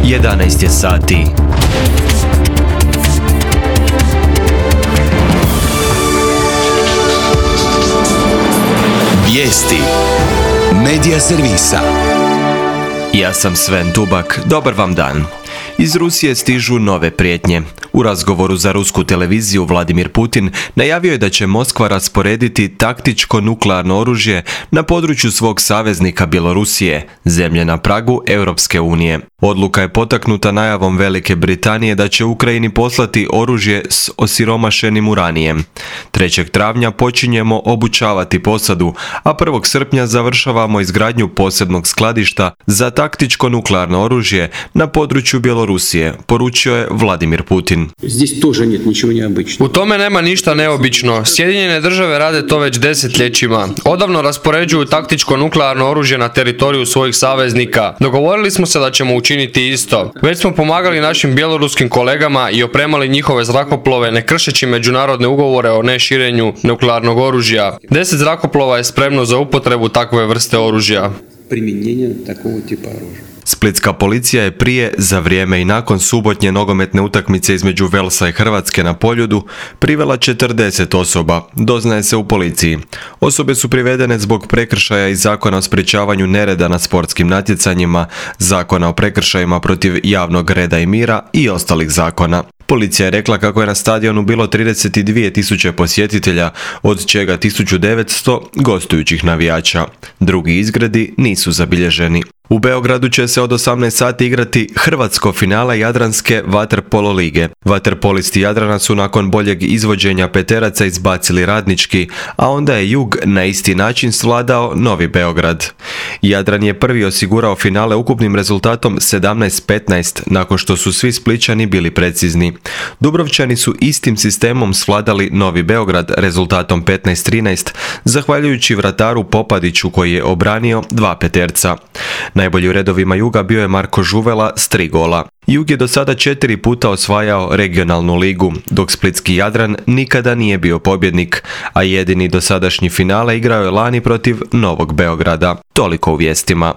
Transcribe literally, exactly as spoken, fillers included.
jedanaest je sati. Vijesti Medija servisa. Ja sam Sven Dubak, dobar vam dan. Iz Rusije stižu nove prijetnje. U razgovoru za rusku televiziju Vladimir Putin najavio je da će Moskva rasporediti taktičko nuklearno oružje na području svog saveznika Bjelorusije, zemlje na pragu Europske unije. Odluka je potaknuta najavom Velike Britanije da će Ukrajini poslati oružje s osiromašenim uranijem. trećeg travnja počinjemo obučavati posadu, a prvog srpnja završavamo izgradnju posebnog skladišta za taktičko nuklearno oružje na području Bjelorusije, poručio je Vladimir Putin. U tome nema ništa neobično. Sjedinjene države rade to već desetljećima. Odavno raspoređuju taktičko nuklearno oružje na teritoriju svojih saveznika. Dogovorili smo se da ćemo učiniti isto. Već smo pomagali našim bjeloruskim kolegama i opremali njihove zrakoplove ne kršeći međunarodne ugovore o neširenju nuklearnog oružja. Deset zrakoplova je spremno za upotrebu takve vrste oružja. Splitska policija je prije, za vrijeme i nakon subotnje nogometne utakmice između Velsa i Hrvatske na Poljudu privela četrdeset osoba, doznaje se u policiji. Osobe su privedene zbog prekršaja iz Zakona o sprječavanju nereda na sportskim natjecanjima, Zakona o prekršajima protiv javnog reda i mira i ostalih zakona. Policija je rekla kako je na stadionu bilo trideset dvije tisuće posjetitelja, od čega tisuću devetsto gostujućih navijača. Drugi izgredi nisu zabilježeni. U Beogradu će se od osamnaest sati igrati hrvatsko finale Jadranske vaterpolo lige. Vaterpolisti Jadrana su nakon boljeg izvođenja peteraca izbacili Radnički, a onda je Jug na isti način svladao Novi Beograd. Jadran je prvi osigurao finale ukupnim rezultatom sedamnaest petnaest, nakon što su svi Splićani bili precizni. Dubrovčani su istim sistemom svladali Novi Beograd rezultatom petnaest trinaest, zahvaljujući vrataru Popadiću koji je obranio dva peterca. Najbolji u redovima Juga bio je Marko Žuvela s tri gola. Jug je do sada četiri puta osvajao regionalnu ligu, dok splitski Jadran nikada nije bio pobjednik, a jedini dosadašnji finale igrao je lani protiv Novog Beograda. Toliko u vijestima.